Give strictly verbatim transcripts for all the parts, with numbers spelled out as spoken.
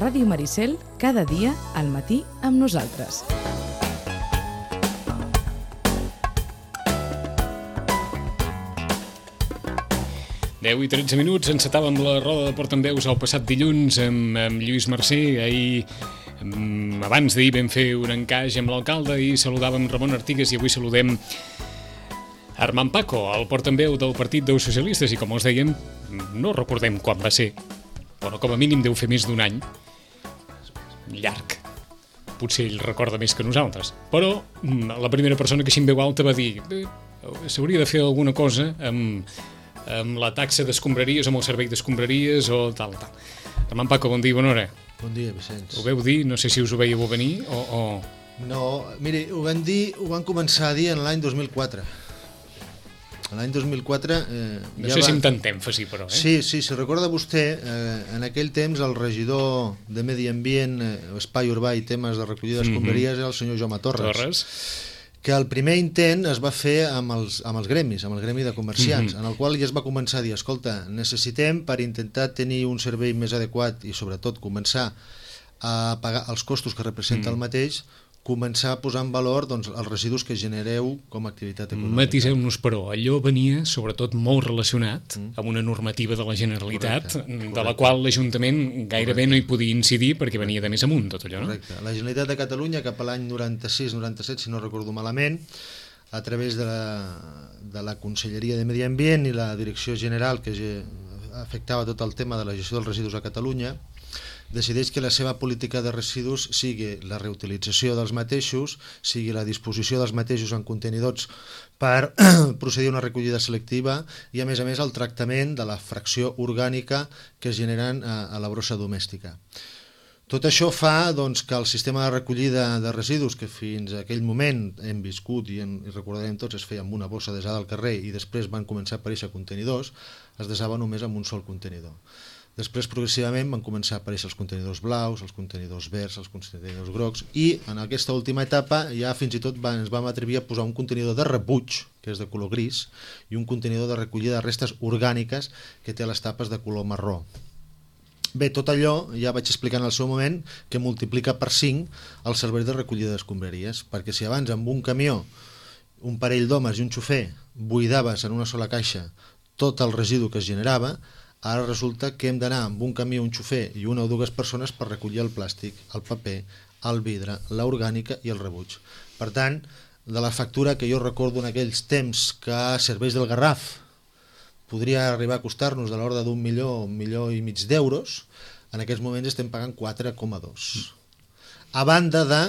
Ràdio Maricel, cada dia al matí amb nosaltres. deu i tretze minuts, encetàvem la roda de Portaveus el passat dilluns amb, amb Lluís Mercè. Ahir, abans d'ahir, vam fer un encaix amb l'alcalde i saludàvem Ramon Artigas i avui saludem Armand Paco, el portaveu del Partit dels Socialistes, i com us dèiem, no recordem quan va ser, però com a mínim deu fer més d'un any. Llarg. Potser ell recorda més que nosaltres. Però la primera persona que així en veu alta va dir s'hauria de fer alguna cosa amb, amb la taxa d'escombraries, amb el servei d'escombraries o tal, tal. Armand Paco, bon dia, bona hora. Bon dia, Vicenç. Ho veu dir? No sé si us ho veieu venir o... o... No, miri, ho van dir, ho van començar a dir en l'any dos mil quatre. L'any dos mil quatre... Eh, no ja sé va... si amb tant èmfasi, però, eh? Sí, sí, si recorda vostè, eh, en aquell temps el regidor de Medi Ambient, eh, Espai Urbà i temes de recollida d'escombraries mm-hmm. era el senyor Jaume Torres. Torres. Que el primer intent es va fer amb els, amb els gremis, amb el gremi de comerciants, mm-hmm. en el qual ja es va començar a dir, escolta, necessitem per intentar tenir un servei més adequat i sobretot començar a pagar els costos que representa mm-hmm. el mateix, començar a posar en valor doncs, els residus que genereu com a activitat econòmica. Matiseu-nos, però, allò venia sobretot molt relacionat mm. amb una normativa de la Generalitat, correcte, correcte. De la qual l'Ajuntament gairebé correcte. No hi podia incidir perquè venia de més amunt tot allò, no? Correcte. La Generalitat de Catalunya cap a l'any noranta-sis noranta-set, si no recordo malament, a través de la, de la Conselleria de Medi Ambient i la Direcció General que afectava tot el tema de la gestió dels residus a Catalunya, decideix que la seva política de residus sigui la reutilització dels mateixos, sigui la disposició dels mateixos en contenidors per procedir a una recollida selectiva i, a més a més, el tractament de la fracció orgànica que es generen a, a la brossa domèstica. Tot això fa doncs, que el sistema de recollida de residus, que fins a aquell moment hem viscut i, en, i recordarem tots, es feia amb una bossa desada al carrer i després van començar a aparèixer contenidors, es desava només amb un sol contenidor. Després, progressivament, van començar a aparèixer els contenidors blaus, els contenidors verds, els contenidors grocs, i en aquesta última etapa ja fins i tot van, ens vam atrevir a posar un contenidor de rebuig, que és de color gris, i un contenidor de recollida de restes orgàniques que té les tapes de color marró. Bé, tot allò, ja vaig explicar en el seu moment, que multiplica per cinc el servei de recollida d'escombraries, perquè si abans amb un camió, un parell d'homes i un xofer buidaves en una sola caixa tot el residu que es generava, ara resulta que hem d'anar amb un camió, un xofer i una o dues persones per recollir el plàstic, el paper, el vidre, l'orgànica i el rebuig. Per tant, de la factura que jo recordo en aquells temps que serveis del Garraf podria arribar a costar-nos de l'ordre d'un milió, un milió i mig d'euros, en aquests moments estem pagant quatre coma dos. A banda de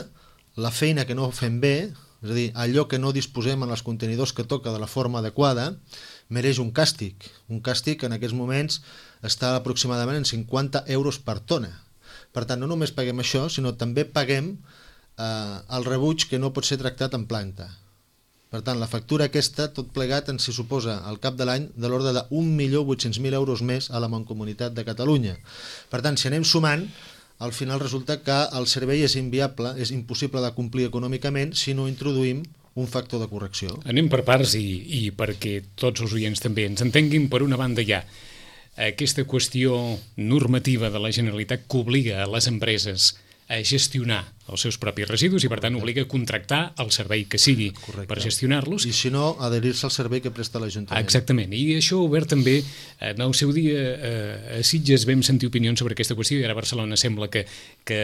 la feina que no fem bé, és a dir, allò que no disposem en els contenidors que toca de la forma adequada, mereix un càstig. Un càstig que en aquests moments està aproximadament en cinquanta euros per tona. Per tant, no només paguem això, sinó també paguem eh, el rebuig que no pot ser tractat en planta. Per tant, la factura aquesta, tot plegat, ens hi suposa al cap de l'any de l'ordre d'un milió vuit-cents mil euros més a la Mancomunitat de Catalunya. Per tant, si anem sumant, al final resulta que el servei és inviable, és impossible de complir econòmicament si no introduïm un factor de correcció. Anem per parts i, i perquè tots els oients també ens entenguin. Per una banda hi ha aquesta qüestió normativa de la Generalitat que obliga a les empreses a gestionar els seus propis residus i per tant obliga a contractar el servei que sigui correcte. Per gestionar-los. I si no, adherir-se al servei que presta l'Ajuntament. Exactament, i això obert també en el seu dia a Sitges vam sentir opinions sobre aquesta qüestió i ara a Barcelona sembla que, que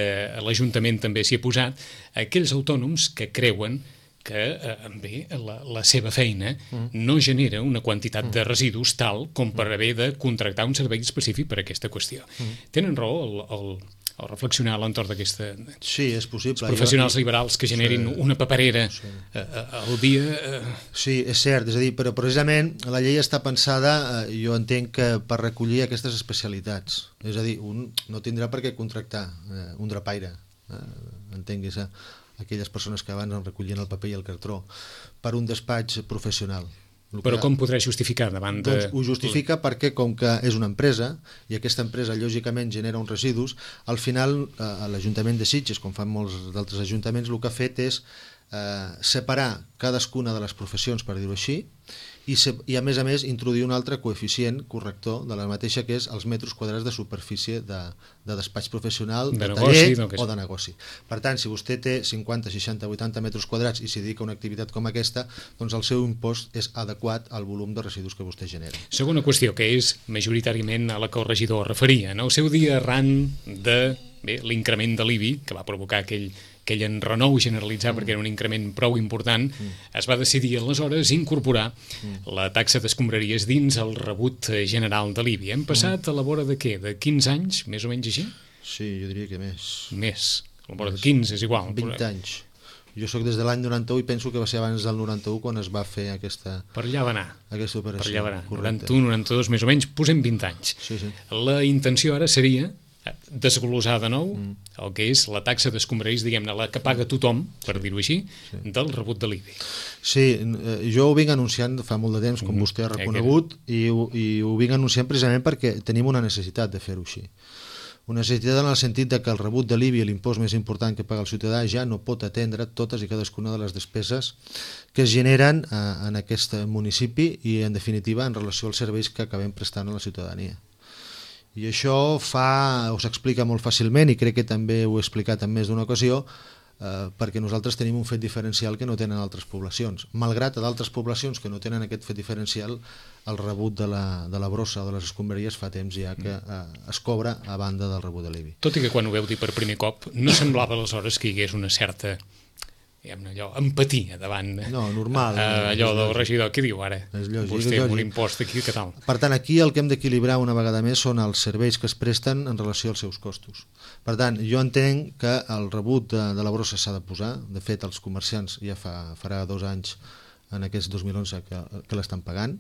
l'Ajuntament també s'hi ha posat, aquells autònoms que creuen que eh, bé, la, la seva feina mm. no genera una quantitat mm. de residus tal com per haver de contractar un servei específic per a aquesta qüestió. Mm. Tenen raó el, el, el reflexionar a l'entorn d'aquesta... Sí, és possible. Els professionals jo... liberals que generin sí. una paperera sí. eh, al dia... Eh... Sí, és cert, és a dir, però precisament la llei està pensada, eh, jo entenc que per recollir aquestes especialitats. És a dir, un no tindrà per què contractar eh, un drapaire, eh, entenguis, eh? aquelles persones que abans en recollien el paper i el cartró, per un despatx professional. Però com podrà justificar davant de... Doncs ho justifica perquè com que és una empresa i aquesta empresa lògicament genera uns residus, al final eh, l'Ajuntament de Sitges, com fan molts d'altres ajuntaments, el que ha fet és eh, separar cadascuna de les professions, per dir-ho així, i, se, i a més a més introduir un altre coeficient corrector de la mateixa, que és els metres quadrats de superfície de, de despatx professional, de, de taller negoci, o de negoci. Per tant, si vostè té cinquanta, seixanta, vuitanta metres quadrats i s'hi dedica a una activitat com aquesta, doncs el seu impost és adequat al volum de residus que vostè genera. Segona qüestió, que és majoritàriament a la que el regidor referia. En el seu dia, arran de bé, l'increment de l'I B I, que va provocar aquell aquell enrenou generalitzat mm. perquè era un increment prou important, mm. es va decidir aleshores incorporar mm. la taxa d'escombraries dins el rebut general de l'I B I. Hem passat mm. a la vora de què? De quinze anys, més o menys així? Sí, jo diria que més. Més. A la vora de quinze és igual. vint anys. Jo sóc des de l'any noranta-u i penso que va ser abans del noranta-u quan es va fer aquesta, per allà va anar. aquesta operació. Per allà va anar. noranta-u, noranta-dos, més o menys, posem vint anys. Sí, sí. La intenció ara seria desglosar de nou mm. el que és la taxa d'escombraries, diguem-ne, la que paga tothom, per dir-ho així, sí. del rebut de l'I B I. Sí, jo ho vinc anunciant fa molt de temps, com mm. vostè ha reconegut, i ho, i ho vinc anunciant precisament perquè tenim una necessitat de fer-ho així. Una necessitat en el sentit de que el rebut de l'I B I, l'impost més important que paga el ciutadà, ja no pot atendre totes i cadascuna de les despeses que es generen eh, en aquest municipi i, en definitiva, en relació als serveis que acabem prestant a la ciutadania. I això fa, us explica molt fàcilment, i crec que també ho he explicat en més d'una ocasió, eh, perquè nosaltres tenim un fet diferencial que no tenen altres poblacions. Malgrat a d'altres poblacions que no tenen aquest fet diferencial, el rebut de la, de la brossa o de les escombraries fa temps ja que eh, es cobra a banda del rebut de l'I B I. Tot i que quan ho veu dir per primer cop, no semblava aleshores que hi hagués una certa... allò, empatia davant no, normal, uh, allò del regidor. Què diu ara? És lògic, vostè és amb un lògic. impost aquí, què tal? Per tant, aquí el que hem d'equilibrar una vegada més són els serveis que es presten en relació als seus costos. Per tant, jo entenc que el rebut de, de la brossa s'ha de posar. De fet, els comerciants ja fa, farà dos anys en aquest dos mil onze que, que l'estan pagant.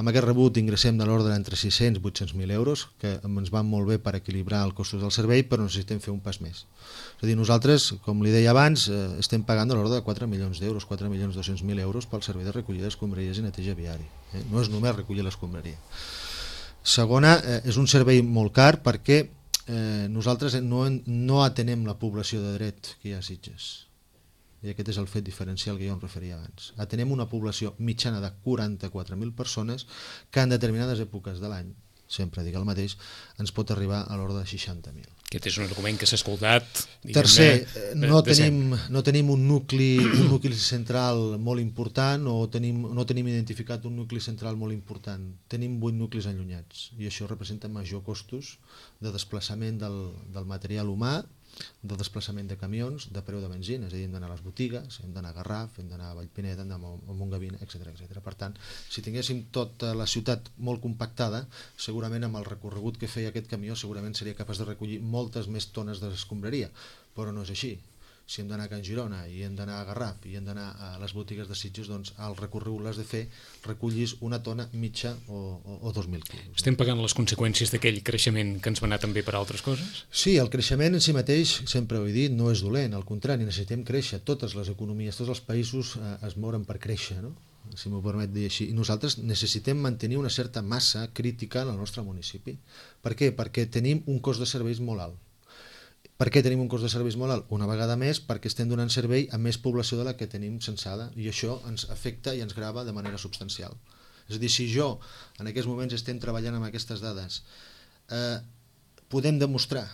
Amb aquest rebut ingressem de l'ordre entre sis-cents i vuit-cents mil euros, que ens van molt bé per equilibrar els costos del servei, però necessitem fer un pas més. És a dir, nosaltres, com li deia abans, eh, estem pagant de l'ordre de quatre milions d'euros, quatre milions dos-cents mil euros pel servei de recollida d'escombraries i neteja viari. Eh? No és només recollir l'escombraria. Segona, eh, és un servei molt car perquè eh, nosaltres no, no atenem la població de dret que hi ha a Sitges. I aquest és el fet diferencial que jo em referia abans. Atenem una població mitjana de quaranta-quatre mil persones que en determinades èpoques de l'any, sempre dic el mateix, ens pot arribar a l'ordre de seixanta mil. Aquest és un argument que s'ha escoltat. Tercer, no tenim, no tenim un nucli, un nucli central molt important o tenim, no tenim identificat un nucli central molt important. Tenim vuit nuclis allunyats i això representa major costos de desplaçament del, del material humà, de desplaçament de camions, de preu de benzina, és a dir, hem d'anar a les botigues, hem d'anar a Garraf, hem d'anar a Vallpineda, hem d'anar a Montgavina, etcètera, etcètera. Per tant, si tinguéssim tota la ciutat molt compactada, segurament amb el recorregut que feia aquest camió segurament seria capaç de recollir moltes més tones d'escombraria, però no és així. Si hem d'anar a Can Girona i hem d'anar a Garraf i hem d'anar a les botigues de Sitges, doncs el recorregut l'has de fer, recollis una tona mitja o, o, o dos mil quilos. Estem pagant les conseqüències d'aquell creixement que ens va anar també per altres coses? Sí, el creixement en si mateix, sempre ho he dit, no és dolent, al contrari, necessitem créixer. Totes les economies, tots els països eh, es moren per créixer, no? Si m'ho permet dir així. I nosaltres necessitem mantenir una certa massa crítica en el nostre municipi. Per què? Perquè tenim un cost de serveis molt alt. Per què tenim un cost de serveis molt alt? Una vegada més perquè estem donant servei a més població de la que tenim censada i això ens afecta i ens grava de manera substancial. És a dir, si jo en aquests moments estem treballant amb aquestes dades, eh, podem demostrar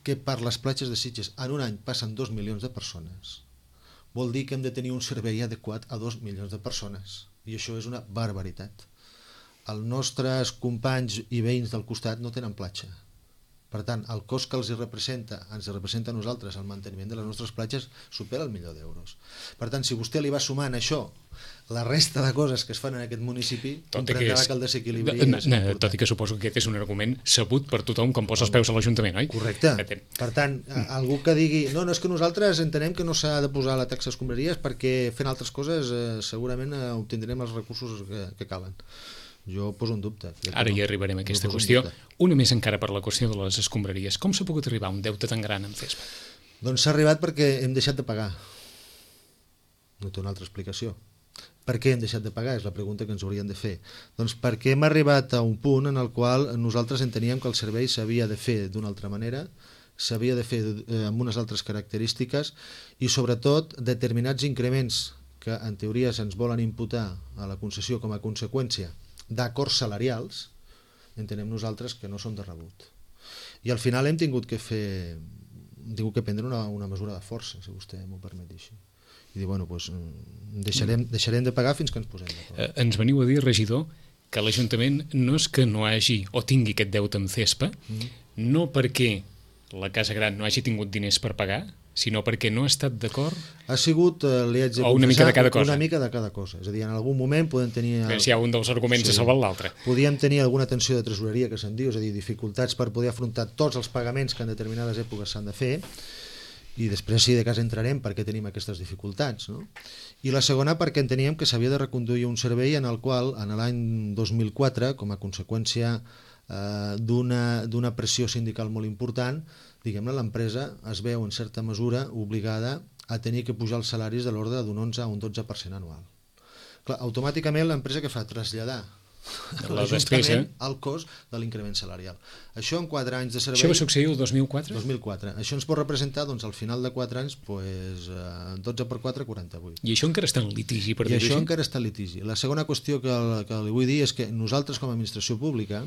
que per les platges de Sitges en un any passen dos milions de persones, vol dir que hem de tenir un servei adequat a dos milions de persones i això és una barbaritat. Els nostres companys i veïns del costat no tenen platja. Per tant, el cost que els representa, ens representa a nosaltres el manteniment de les nostres platges supera el milió d'euros. Per tant, si vostè li va sumant això, la resta de coses que es fan en aquest municipi, comprendrà que, que el desequilibri no, és important. Tot i que suposo que aquest és un argument sabut per tothom com posa els peus a l'Ajuntament, oi? Correcte. Per tant, algú que digui no, no, és que nosaltres entenem que no s'ha de posar la taxa escombraries perquè fent altres coses eh, segurament eh, obtindrem els recursos que, que calen. Jo poso en dubte. Ara hi arribarem a aquesta qüestió. Una més encara per la qüestió de les escombraries. Com s'ha pogut arribar a un deute tan gran en Cespa? Doncs s'ha arribat perquè hem deixat de pagar. No té una altra explicació. Per què hem deixat de pagar? És la pregunta que ens haurien de fer. Doncs perquè hem arribat a un punt en el qual nosaltres enteníem que el servei s'havia de fer d'una altra manera s'havia de fer eh, amb unes altres característiques i sobretot determinats increments que en teoria se'ns volen imputar a la concessió com a conseqüència d'acords salarials, entenem nosaltres que no són de rebut. I al final hem tingut que fer, hem tingut que prendre una, una mesura de força, si vostè m'ho permet dir així. I dir, bueno, doncs deixarem, deixarem de pagar fins que ens posem d'acord. Eh, ens veniu a dir, regidor, que l'Ajuntament no és que no hagi o tingui aquest deute amb CESPA, mm. no perquè la Casa Gran no hagi tingut diners per pagar, sinó perquè no ha estat d'acord? Ha sigut, eh, li haig de o una mica de cada cosa? Una mica de cada cosa. És a dir, en algun moment podem tenir... El... Si hi ha un dels arguments sí. ha salvat l'altre. Podíem tenir alguna tensió de tresoreria, que se'n diu, és a dir, dificultats per poder afrontar tots els pagaments que en determinades èpoques s'han de fer, i després, si de cas, entrarem perquè tenim aquestes dificultats. No? I la segona, perquè enteníem que s'havia de reconduir un servei en el qual, en l'any dos mil quatre, com a conseqüència eh, d'una pressió sindical molt important, diguem-ne, l'empresa es veu en certa mesura obligada a tenir que pujar els salaris de l'ordre d'un onze a un dotze per cent anual. Clar, automàticament l'empresa que fa? Traslladar l'Ajuntament al cost de l'increment salarial. Això en quatre anys de servei... Això va succeir el dos mil quatre? dos mil quatre. Això ens pot representar, doncs, al final de quatre anys, pues, dotze per quatre, quaranta-vuit. I això encara està en litigi, per dir-ho així? I això així? encara està en litigi. La segona qüestió que, que li vull dir és que nosaltres, com a administració pública,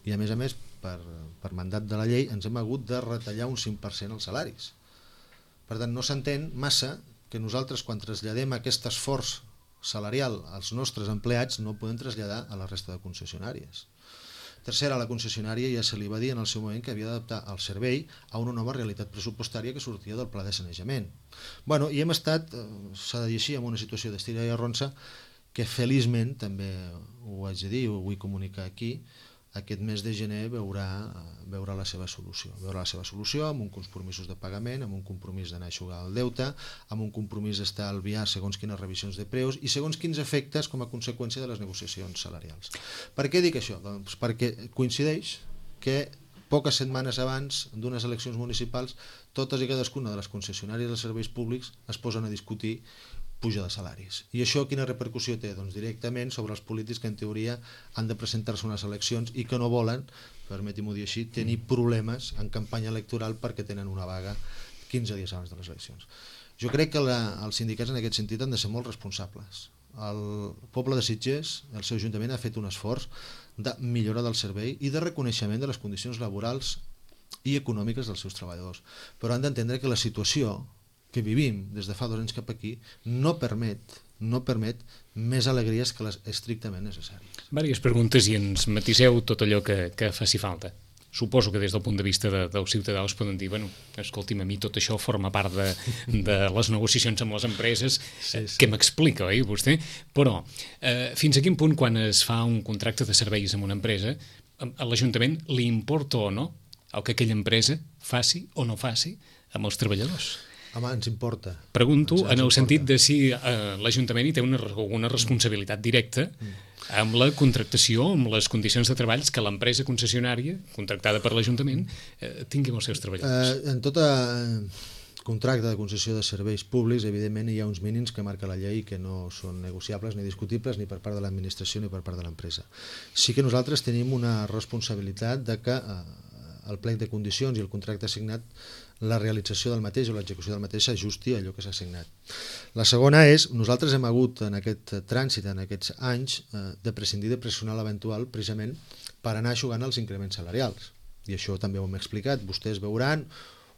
i a més a més per, per mandat de la llei, ens hem hagut de retallar un cinc per cent els salaris. Per tant, no s'entén massa que nosaltres, quan traslladem aquest esforç salarial als nostres empleats, no podem traslladar a la resta de concessionàries. Tercera, a la concessionària ja se li va dir en el seu moment que havia d'adaptar el servei a una nova realitat pressupostària que sortia del pla de sanejament. Bueno, i hem estat, s'ha de dir així, en una situació d'estira i arronsa que feliçment, també ho haig de dir, ho vull comunicar aquí, aquest mes de gener veurà, veurà la seva solució. Veurà la seva solució amb un compromisos de pagament, amb un compromís d'anar a eixugar el deute, amb un compromís d'estalviar segons quines revisions de preus i segons quins efectes com a conseqüència de les negociacions salarials. Per què dic això? Doncs perquè coincideix que poques setmanes abans d'unes eleccions municipals totes i cadascuna de les concessionàries dels serveis públics es posen a discutir puja de salaris. I això quina repercussió té? Doncs directament sobre els polítics que en teoria han de presentar-se unes eleccions i que no volen, permeti-m'ho dir així, tenir problemes en campanya electoral perquè tenen una vaga quinze dies abans de les eleccions. Jo crec que la, els sindicats en aquest sentit han de ser molt responsables. El poble de Sitges, el seu ajuntament, ha fet un esforç de millora del servei i de reconeixement de les condicions laborals i econòmiques dels seus treballadors. Però han d'entendre que la situació que vivim des de fa dos anys cap aquí no permet, no permet més alegries que les estrictament necessàries. Vàries preguntes i ens matiseu tot allò que, que faci falta. Suposo que des del punt de vista de, dels ciutadans poden dir, bueno, escolti'm, a mi tot això forma part de, de les negociacions amb les empreses, sí, sí. Què m'explica, oi, vostè? Però eh, fins a quin punt, quan es fa un contracte de serveis amb una empresa, a l'Ajuntament li importa o no el que aquella empresa faci o no faci amb els treballadors? Home, ens importa. Pregunto ens, ens en el importa. sentit de si eh, l'Ajuntament hi té una, una responsabilitat directa amb la contractació, amb les condicions de treballs que l'empresa concessionària, contractada per l'Ajuntament, eh, tingui amb els seus treballadors. Eh, en tota contracte de concessió de serveis públics, evidentment hi ha uns mínims que marca la llei que no són negociables ni discutibles ni per part de l'administració ni per part de l'empresa. Sí que nosaltres tenim una responsabilitat de que eh, el plec de condicions i el contracte assignat, la realització del mateix o l'execució del mateix s'ajusti a allò que s'ha assignat. La segona és, nosaltres hem hagut en aquest trànsit, en aquests anys, eh, de prescindir de personal eventual precisament per anar eixugant els increments salarials. I això també ho hem explicat. Vostès veuran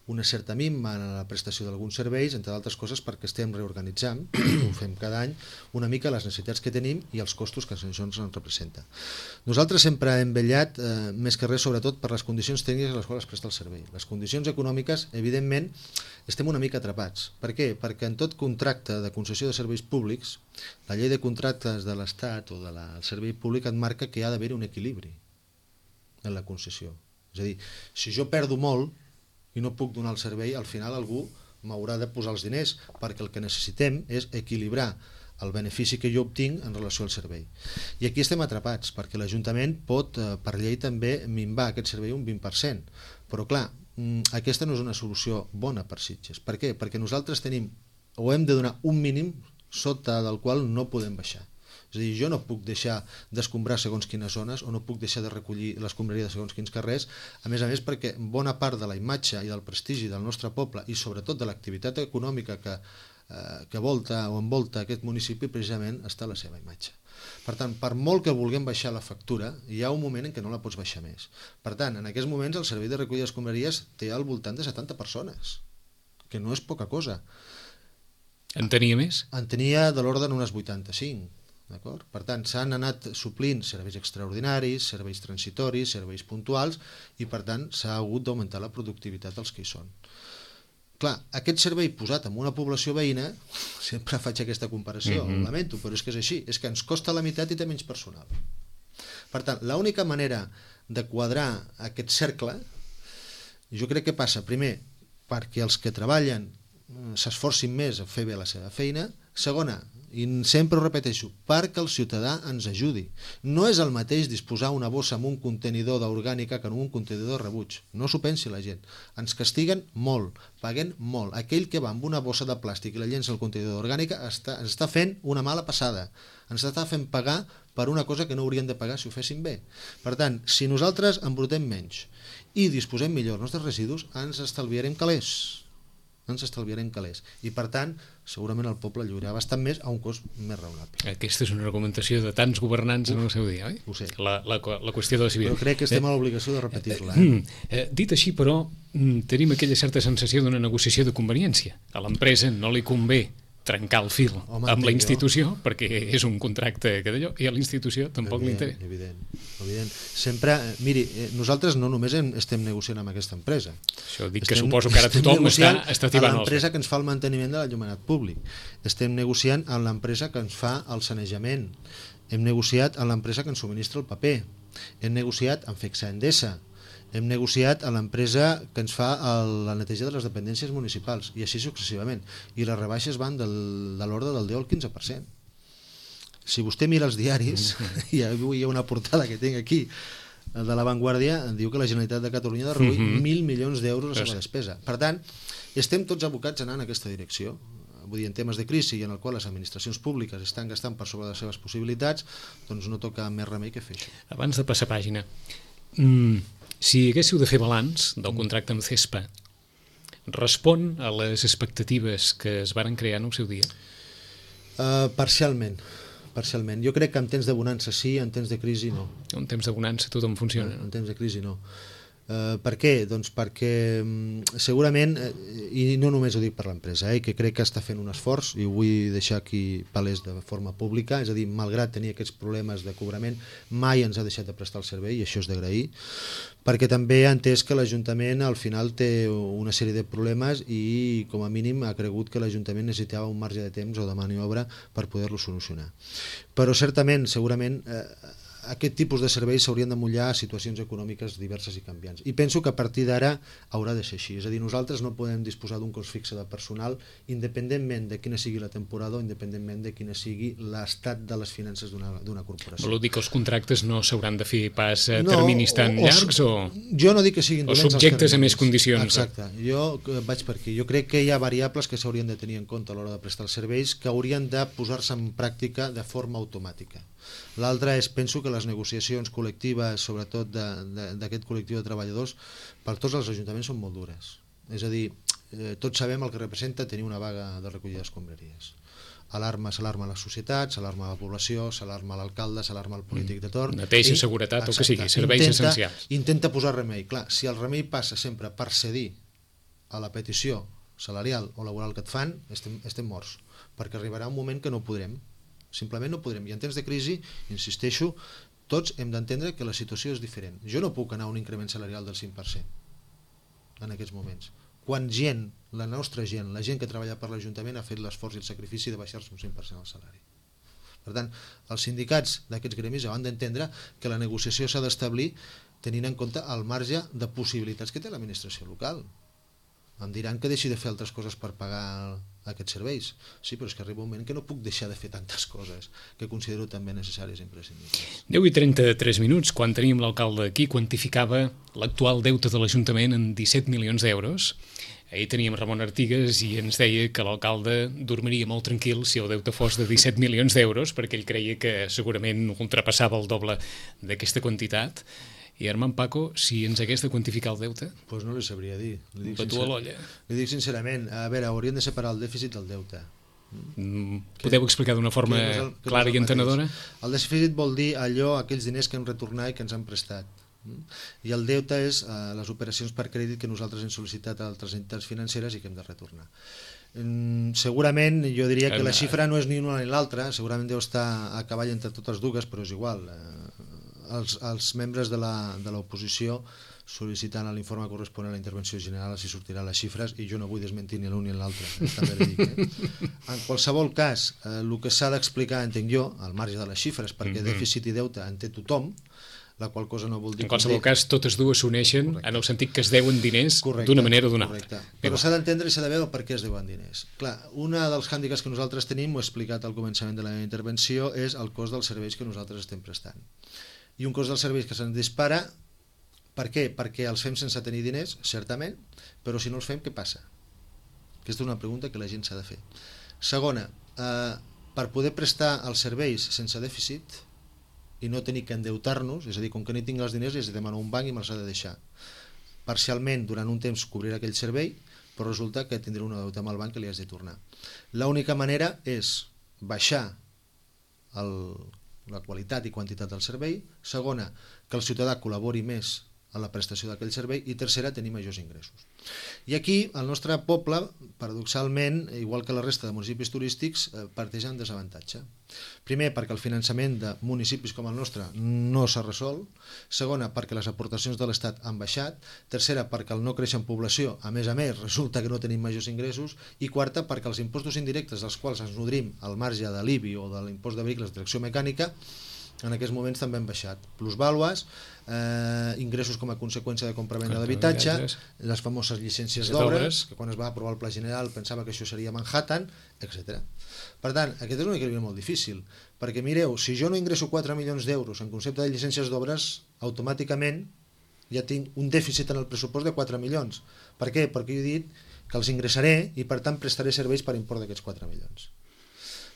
una certa minva en la prestació d'alguns serveis, entre d'altres coses perquè estem reorganitzant, ho fem cada any, una mica les necessitats que tenim i els costos que això ens representa. Nosaltres sempre hem vetllat, eh, més que res, sobretot per les condicions tècniques a les quals es presta el servei. Les condicions econòmiques, evidentment, estem una mica atrapats. Per què? Perquè en tot contracte de concessió de serveis públics, la llei de contractes de l'Estat o del servei públic et marca que hi ha d'haver un equilibri en la concessió. És a dir, si jo perdo molt, i no puc donar el servei, al final algú m'haurà de posar els diners, perquè el que necessitem és equilibrar el benefici que jo obtinc en relació al servei. I aquí estem atrapats, perquè l'Ajuntament pot, per llei, també minvar aquest servei un vint per cent. Però clar, aquesta no és una solució bona per Sitges. Per què? Perquè nosaltres tenim, o hem de donar un mínim sota del qual no podem baixar. És a dir, jo no puc deixar d'escombrar segons quines zones o no puc deixar de recollir l'escombraria de segons quins carrers, a més a més perquè bona part de la imatge i del prestigi del nostre poble i sobretot de l'activitat econòmica que, eh, que volta o envolta aquest municipi precisament està la seva imatge. Per tant, per molt que vulguem baixar la factura, hi ha un moment en què no la pots baixar més. Per tant, en aquests moments el servei de recollida d'escombraries té al voltant de setanta persones, que no és poca cosa. En tenia més? En tenia de l'ordre d'unes vuitanta-cinc. D'acord? Per tant, s'han anat suplint serveis extraordinaris, serveis transitoris, serveis puntuals i per tant s'ha hagut d'augmentar la productivitat dels que hi són. Clar, aquest servei posat en una població veïna, sempre faig aquesta comparació, mm-hmm. ho lamento, però és que és així, és que ens costa la meitat i té menys personal. Per tant, l'única manera de quadrar aquest cercle, jo crec que passa, primer, perquè els que treballen s'esforcin més a fer bé la seva feina, segona, i sempre ho repeteixo, perquè el ciutadà ens ajudi. No és el mateix disposar una bossa amb un contenidor d'orgànica que en un contenidor de rebuig. No s'ho pensi la gent. Ens castiguen molt, paguen molt. Aquell que va amb una bossa de plàstic i la llença al contenidor d'orgànica està, ens està fent una mala passada. Ens està fent pagar per una cosa que no haurien de pagar si ho fessin bé. Per tant, si nosaltres embrutem menys i disposem millor els nostres residus, ens estalviarem calés. ens estalviarem calés. I per tant, segurament el poble lliurarà bastant més a un cost més raonable. Aquesta és una argumentació de tants governants Uf, en el seu dia, oi? Ho sé. La, la, la qüestió de la civil. Però crec que estem eh, a l'obligació de repetir-la. Eh? Eh, dit així, però, tenim aquella certa sensació d'una negociació de conveniència. A l'empresa no li convé trencar el fil Home, amb la institució, jo. perquè és un contracte que d'allò, i a la institució tampoc li interessa. Evident, evident. Sempre, miri, nosaltres no només estem negociant amb aquesta empresa. Això dic estem, que suposo que ara tothom està, està tibant els... l'empresa que ens fa el manteniment de l'enllumenat públic. Estem negociant amb l'empresa que ens fa el sanejament. Hem negociat amb l'empresa que ens subministra el paper. Hem negociat amb Fexa Endesa. Hem negociat a l'empresa que ens fa el, la neteja de les dependències municipals, i així successivament. I les rebaixes van del, de l'ordre del deu al quinze per cent. Si vostè mira els diaris, i avui hi ha una portada que tinc aquí, de La Vanguardia, diu que la Generalitat de Catalunya ha de reduir mm-hmm. mil milions d'euros a la seva despesa. Per tant, estem tots abocats a anar en aquesta direcció. Vull dir, en temes de crisi i en el qual les administracions públiques estan gastant per sobre de les seves possibilitats, doncs no toca més remei que fer això. Abans de passar pàgina, mm, si haguéssiu de fer balanç del contracte amb CESPA, respon a les expectatives que es varen crear en el seu dia? Uh, parcialment, parcialment. Jo crec que en temps de bonança sí, en temps de crisi no. En temps de bonança tothom funciona. En temps de crisi no. Uh, per què? Doncs perquè um, segurament, uh, i no només ho dic per l'empresa, eh, que crec que està fent un esforç, i ho vull deixar aquí palès de forma pública, és a dir, malgrat tenir aquests problemes de cobrament, mai ens ha deixat de prestar el servei, i això és d'agrair, perquè també ha entès que l'Ajuntament al final té una sèrie de problemes i com a mínim ha cregut que l'Ajuntament necessitava un marge de temps o de maniobra per poder-lo solucionar. Però certament, segurament, eh, aquest tipus de serveis s'haurien de mullar a situacions econòmiques diverses i canviants. I penso que a partir d'ara haurà de ser així. És a dir, nosaltres no podem disposar d'un cost fixe de personal independentment de quina sigui la temporada o independentment de quina sigui l'estat de les finances d'una corporació. Voleu dir que els contractes no s'hauran de fer pas a no, terminis tan o, llargs? O... Jo no dic que siguin o subjectes a més condicions. Exacte. Jo vaig per aquí. Jo crec que hi ha variables que s'haurien de tenir en compte a l'hora de prestar els serveis que haurien de posar-se en pràctica de forma automàtica. L'altre és, penso que les negociacions col·lectives, sobretot d'aquest col·lectiu de treballadors, per tots els ajuntaments són molt dures. És a dir, eh, tots sabem el que representa tenir una vaga de recollida d'escombraries. Alarma, s'alarma la societat, s'alarma la població, s'alarma l'alcalde, s'alarma el polític de torn. Neteja, seguretat, o que sigui, serveis intenta, essencials. Intenta posar remei. Clar, si el remei passa sempre per cedir a la petició salarial o laboral que et fan, estem, estem morts, perquè arribarà un moment que no podrem. Simplement no podrem. I en temps de crisi, insisteixo, tots hem d'entendre que la situació és diferent. Jo no puc anar a un increment salarial del cinc per cent en aquests moments. Quan gent, la nostra gent, la gent que treballa per l'Ajuntament ha fet l'esforç i el sacrifici de baixar-se un cinc per cent el salari. Per tant, els sindicats d'aquests gremis han d'entendre que la negociació s'ha d'establir tenint en compte el marge de possibilitats que té l'administració local. Em diran que deixi de fer altres coses per pagar aquests serveis. Sí, però és que arriba un moment que no puc deixar de fer tantes coses que considero també necessàries i imprescindibles. deu i trenta-tres minuts, quan teníem l'alcalde aquí, quantificava l'actual deute de l'Ajuntament en disset milions d'euros. ahir teníem Ramon Artigas i ens deia que l'alcalde dormiria molt tranquil si el deute fos de disset milions d'euros, perquè ell creia que segurament ultrapassava el doble d'aquesta quantitat. I Armand Paco, si ens hagués de quantificar el deute? Doncs pues no li sabria dir. Li dic, sincer... l'olla. Li dic sincerament, a veure, hauríem de separar el dèficit del deute. Mm, podeu explicar d'una forma no el, clara no i entenedora? El dèficit vol dir allò, aquells diners que hem retornat i que ens han prestat. I el deute és eh, les operacions per crèdit que nosaltres hem sol·licitat a altres entitats financeres i que hem de retornar. Mm, segurament jo diria que la xifra no és ni una ni l'altra, segurament deu estar a cavall entre totes dues, però és igual. Eh, els, els membres de l'oposició sol·licitant l'informe corresponent a la intervenció general els hi sortiran les xifres i jo no vull desmentir ni l'un ni l'altre. Eh? En qualsevol cas, eh, el que s'ha d'explicar, entenc jo, al marge de les xifres, perquè mm-hmm. dèficit i deute en té tothom, la qual cosa no vol dir... En qualsevol cas, totes dues s'uneixen en el sentit que es deuen diners d'una manera o d'una altra. Però s'ha d'entendre i s'ha de veure per què es deuen diners. Clar, una dels hàndicaps que nosaltres tenim, ho he explicat al començament de la meva intervenció, és el cost dels serveis que nosaltres estem prestant. I un cost dels serveis que se'ns dispara, per què? Perquè els fem sense tenir diners, certament, però si no els fem, què passa? Aquesta és una pregunta que la gent s'ha de fer. Segona, eh, per poder prestar els serveis sense dèficit i no tenir que endeutar-nos, és a dir, com que no tinc els diners els demano a un banc i me'ls ha de deixar. Parcialment, durant un temps, cobriré aquell servei, però resulta que tindré una deuta amb el banc que li has de tornar. L'única manera és baixar el, la qualitat i quantitat del servei, segona, que el ciutadà col·labori més a la prestació d'aquell servei i tercera, tenir majors ingressos. I aquí el nostre poble, paradoxalment, igual que la resta de municipis turístics, parteix en desavantatge. Primer, perquè el finançament de municipis com el nostre no s'ha resolt. Segona, perquè les aportacions de l'Estat han baixat. Tercera, perquè el no créixer en població, a més a més, resulta que no tenim majors ingressos. I quarta, perquè els impostos indirectes dels quals ens nodrim al marge de l'I B I o de l'impost de vehicles de tracció mecànica en aquests moments també han baixat. Plusvàlues, eh, ingressos com a conseqüència de compra-venda d'habitatge, les famoses llicències d'obres, que quan es va aprovar el Pla General pensava que això seria Manhattan, etcètera. Per tant, aquest és un equilibri molt difícil, perquè mireu, si jo no ingresso quatre milions d'euros en concepte de llicències d'obres, automàticament ja tinc un dèficit en el pressupost de quatre milions. Per què? Perquè jo he dit que els ingressaré i per tant prestaré serveis per import d'aquests quatre milions.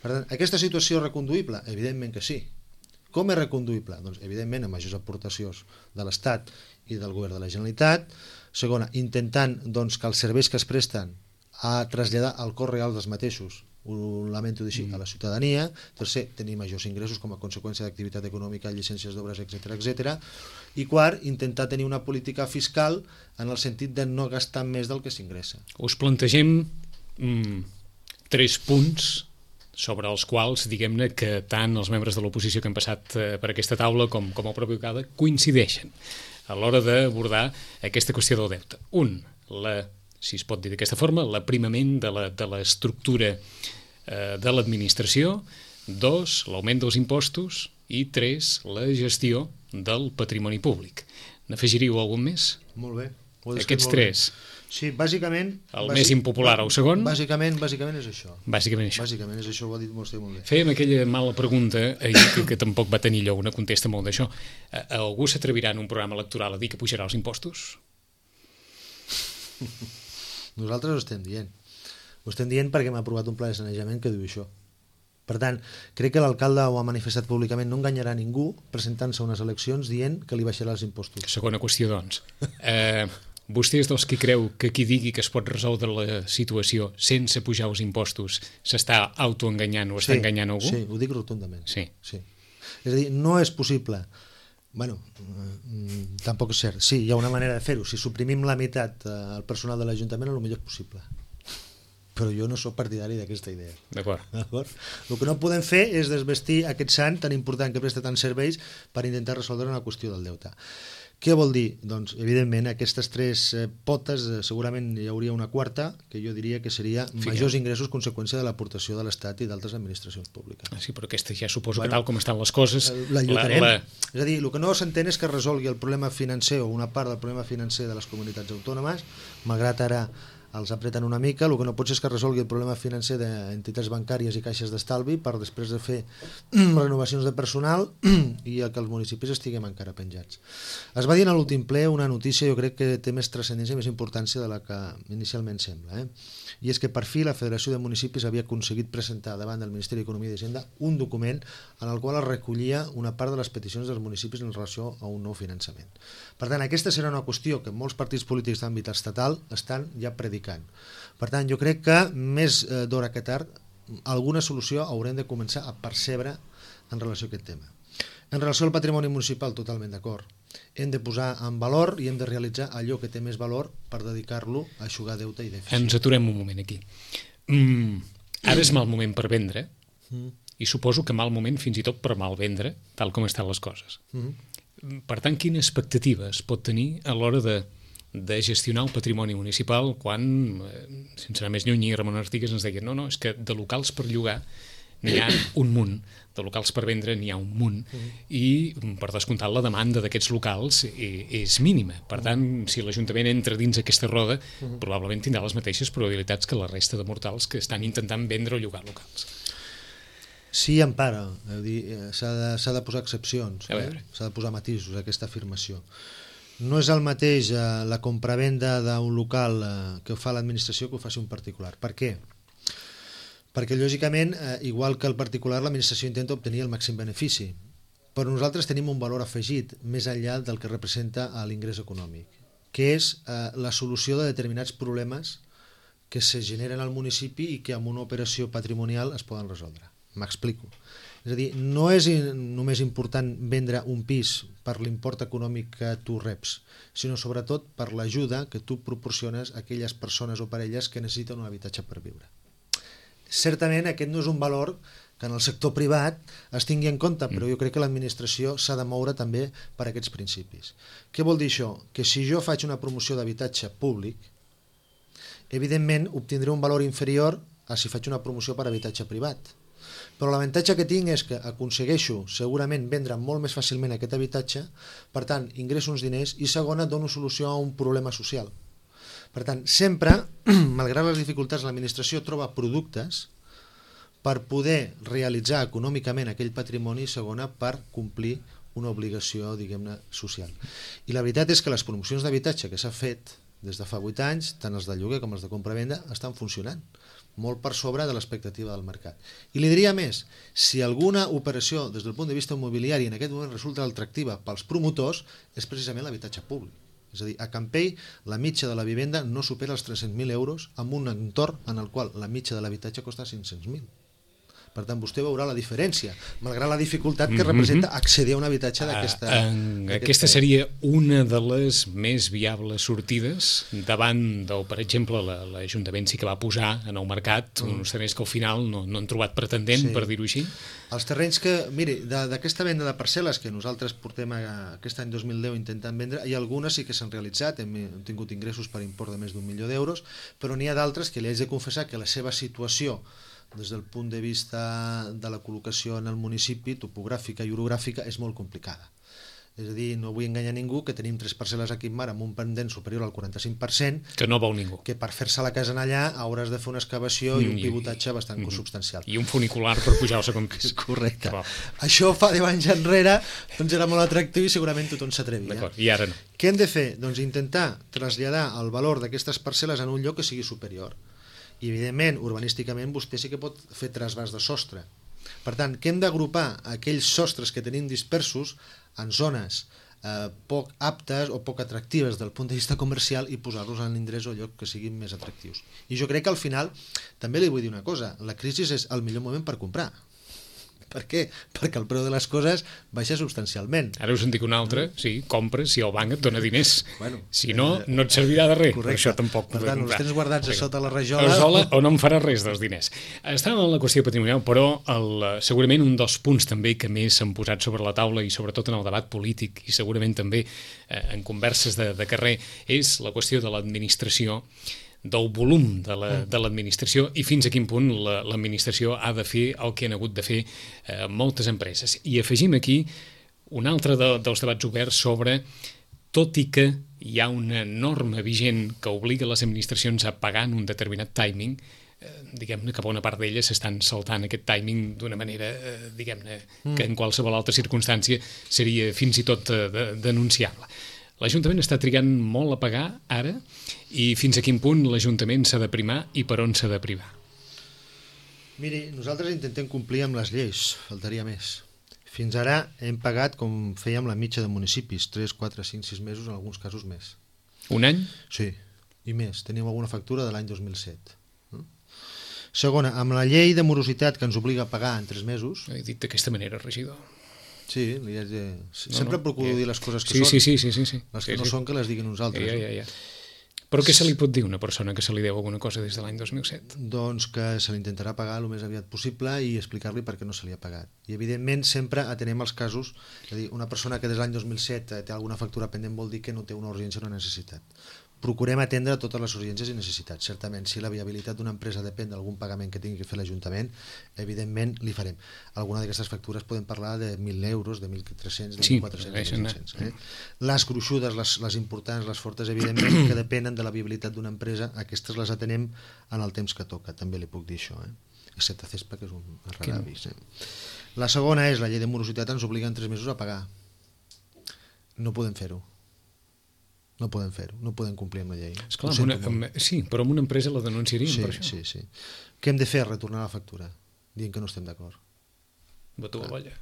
Per tant, aquesta situació és reconduïble? Evidentment que sí. Com és reconduïble? Doncs, evidentment, amb majors aportacions de l'Estat i del Govern de la Generalitat. Segona, intentant doncs, que els serveis que es presten a traslladar al cost real dels mateixos, ho lamento dir així, a la ciutadania. Tercer, tenir majors ingressos com a conseqüència d'activitat econòmica, llicències d'obres, etcètera, etcètera. I quart, intentar tenir una política fiscal en el sentit de no gastar més del que s'ingressa. Us plantegem mm, tres punts sobre els quals, diguem-ne, que tant els membres de l'oposició que han passat eh, per aquesta taula com, com el propi alcalde coincideixen a l'hora d'abordar aquesta qüestió del deute. Un, la, si es pot dir d'aquesta forma, l'aprimament de, la, de l'estructura eh, de l'administració. Dos, l'augment dels impostos. I tres, la gestió del patrimoni públic. N'afegiríeu algun més? Molt bé. Aquests tres. Sí, bàsicament... El bàsic, més impopular, el segon? Bàsicament, bàsicament és això. Bàsicament això. Bàsicament és això, ho ha dit vostè molt bé. Fèiem aquella mala pregunta, ahir, que, que tampoc va tenir lloc, una contesta molt d'això. Algú s'atrevirà en un programa electoral a dir que pujarà els impostos? Nosaltres ho estem dient. Ho estem dient perquè hem aprovat un pla de sanejament que diu això. Per tant, crec que l'alcalde ho ha manifestat públicament, no enganyarà ningú presentant-se a unes eleccions dient que li baixarà els impostos. Segona qüestió, doncs. Eh... Vostè és dels que creu que qui digui que es pot resoldre la situació sense pujar els impostos s'està autoenganyant o està sí, enganyant algú? Sí, ho dic rotundament. Sí. sí. És a dir, no és possible. Bueno, tampoc és cert. Sí, hi ha una manera de fer-ho. Si suprimim la meitat al personal de l'Ajuntament, potser és possible. Però jo no sóc partidari d'aquesta idea. D'acord. D'acord. El que no podem fer és desvestir aquest sant tan important que presta tants serveis per intentar resoldre una qüestió del deute. Què vol dir? Doncs, evidentment, aquestes tres eh, potes, eh, segurament hi hauria una quarta, que jo diria que seria Fica. majors ingressos conseqüència de l'aportació de l'Estat i d'altres administracions públiques. Ah, sí, però aquesta ja suposo bueno, que tal com estan les coses... La lluitarem. La, la... És a dir, el que no s'entén és que resolgui el problema financer o una part del problema financer de les comunitats autònomes, malgrat ara els apreten una mica, el que no pot ser és que resolgui el problema financer d'entitats bancàries i caixes d'estalvi per després de fer renovacions de personal i que els municipis estiguem encara penjats. Es va dir en l'últim ple una notícia, jo crec que té més transcendència i més importància de la que inicialment sembla, eh? I és que per fi la Federació de Municipis havia aconseguit presentar davant del Ministeri d'Economia i d'Hisenda un document en el qual es recollia una part de les peticions dels municipis en relació a un nou finançament. Per tant, aquesta serà una qüestió que molts partits polítics d'àmbit estatal estan ja predicant. Per tant, jo crec que més d'hora que tard alguna solució haurem de començar a percebre en relació a aquest tema. En relació al patrimoni municipal, totalment d'acord. Hem de posar en valor i hem de realitzar allò que té més valor per dedicar-lo a eixugar deute i dèficit. Ens aturem un moment aquí. Mm, ara és mal moment per vendre mm. i suposo que mal moment fins i tot per mal vendre, tal com estan les coses. Mm. Per tant, quina expectativa es pot tenir a l'hora de, de gestionar el patrimoni municipal quan, sense anar més lluny, Ramon Artigas ens deia no, no, és que de locals per llogar n'hi ha un munt, de locals per vendre n'hi ha un munt, uh-huh. i per descomptat la demanda d'aquests locals és mínima. Per tant, si l'Ajuntament entra dins aquesta roda, uh-huh. probablement tindrà les mateixes probabilitats que la resta de mortals que estan intentant vendre o llogar locals. Sí, empara, s'ha de, s'ha de posar excepcions, eh? S'ha de posar matisos a aquesta afirmació. No és el mateix eh, la compravenda d'un local eh, que ho fa l'administració que ho faci un particular. Per què? Perquè, lògicament, eh, igual que el particular, l'administració intenta obtenir el màxim benefici. Però nosaltres tenim un valor afegit més enllà del que representa l'ingrés econòmic, que és eh, la solució de determinats problemes que se generen al municipi i que amb una operació patrimonial es poden resoldre. M'explico. És a dir, no és només important vendre un pis per l'import econòmic que tu reps, sinó sobretot per l'ajuda que tu proporciones a aquelles persones o parelles que necessiten un habitatge per viure. Certament aquest no és un valor que en el sector privat es tingui en compte, però jo crec que l'administració s'ha de moure també per aquests principis. Què vol dir això? Que si jo faig una promoció d'habitatge públic, evidentment obtindré un valor inferior a si faig una promoció per habitatge privat. Però l'avantatge que tinc és que aconsegueixo segurament vendre molt més fàcilment aquest habitatge, per tant ingresso uns diners i segona dono solució a un problema social. Per tant, sempre, malgrat les dificultats, l'administració troba productes per poder realitzar econòmicament aquell patrimoni i segona per complir una obligació, diguem-ne, social. I la veritat és que les promocions d'habitatge que s'ha fet des de fa vuit anys, tant els de lloguer com els de compra-venda, estan funcionant molt per sobre de l'expectativa del mercat. I li diria més, si alguna operació des del punt de vista immobiliari en aquest moment resulta atractiva pels promotors, és precisament l'habitatge públic. És a dir, a Campell la mitja de la vivenda no supera els tres-cents mil euros amb un entorn en el qual la mitja de l'habitatge costa cinc-cents mil. Per tant, vostè veurà la diferència, malgrat la dificultat que representa accedir a un habitatge d'aquesta... Uh, aquesta seria una de les més viables sortides davant del, per exemple, l'Ajuntament sí que va posar en el mercat mm. uns terrenys que al final no, no han trobat pretendent, sí. per dir-ho així. Els terrenys que, miri, d'aquesta venda de parcel·les que nosaltres portem a, aquest any dos mil deu intentant vendre, hi ha algunes sí que s'han realitzat, hem, hem tingut ingressos per import de més d'un milió d'euros, però n'hi ha d'altres que li haig de confessar que la seva situació des del punt de vista de la col·locació en el municipi, topogràfica i orogràfica, és molt complicada. És a dir, no vull enganyar ningú que tenim tres parcel·les aquí en mar amb un pendent superior al quaranta-cinc per cent, que no veu ningú. Que per fer-se la casa en allà hauràs de fer una excavació i un pivotatge bastant mm. substancial. I un funicular per pujar al segon pis. Correcte. Això fa deu anys enrere, doncs era molt atractiu i segurament tothom s'atrevia. D'acord, i ara no. Què hem de fer? Doncs intentar traslladar el valor d'aquestes parcel·les en un lloc que sigui superior. I evidentment, urbanísticament, vostè sí que pot fer trasbàs de sostre. Per tant, que hem d'agrupar aquells sostres que tenim dispersos en zones eh, poc aptes o poc atractives del punt de vista comercial i posar-los en l'indrés o lloc que siguin més atractius. I jo crec que al final, també li vull dir una cosa, la crisi és el millor moment per comprar. Per què? Perquè el preu de les coses baixa substancialment. Ara us en dic una altra, sí, compres si el banc et dona diners. Bueno, si no, no et servirà de res. Correcte. Això tampoc per tant, els tens guardats a sota la rajola. La rajola o no em farà res dels diners. Estàvem en la qüestió patrimonial, però el, segurament un dels punts també que més s'han posat sobre la taula i sobretot en el debat polític i segurament també eh, en converses de, de carrer és la qüestió de l'administració, del volum de l'administració la, i fins a quin punt l'administració la, ha de fer el que han hagut de fer eh, moltes empreses. I afegim aquí un altre de, dels debats oberts sobre tot i que hi ha una norma vigent que obliga les administracions a pagar en un determinat timing, eh, diguem-ne que bona part d'elles s'estan saltant aquest timing d'una manera, eh, diguem-ne, mm. que en qualsevol altra circumstància seria fins i tot eh, de, denunciable. L'Ajuntament està trigant molt a pagar ara, i fins a quin punt l'Ajuntament s'ha de primar i per on s'ha de privar? Miri, nosaltres intentem complir amb les lleis, faltaria més. Fins ara hem pagat, com fèiem la mitja de municipis, tres, quatre, cinc, sis mesos, en alguns casos més. Un any? Sí, i més. Tenim alguna factura de l'any dos mil set. Segona, amb la llei de morositat que ens obliga a pagar en tres mesos... He dit d'aquesta manera, regidor. Sí, li haig de... sempre no, no, procuro ja... dir les coses que sí, són. Sí, sí, sí, sí, sí. Les que sí, no sí. són, que les diguin nosaltres. Ja, ja, ja. Però què se li pot dir a una persona que se li deu alguna cosa des de l'any dos mil set? Doncs que se l'intentarà pagar el més aviat possible i explicar-li per què no se li ha pagat. I evidentment sempre atenem els casos, és a dir, una persona que des de l'any dos mil set té alguna factura pendent vol dir que no té una urgència o una necessitat. Procurem atendre totes les urgències i necessitats. Certament, si la viabilitat d'una empresa depèn d'algun pagament que tingui que fer l'Ajuntament, evidentment li farem. Alguna d'aquestes factures podem parlar de mil euros, de mil tres-cents, de mil quatre-cents, de mil cinc-cents. Eh? Les gruixudes, les, les importants, les fortes, evidentment, que depenen de la viabilitat d'una empresa, aquestes les atenem en el temps que toca, també li puc dir això. Eh? Excepte CESPA, que és un rara avís. Eh? La segona és, la llei de morositat ens obliga en tres mesos a pagar. No podem fer-ho. No podem fer-ho, no podem complir amb la llei. Esclar, amb una, amb, sí, però amb una empresa la denunciaríem sí, per això. Sí, sí. Què hem de fer? Retornar la factura, dient que no estem d'acord. Batu a l'olla.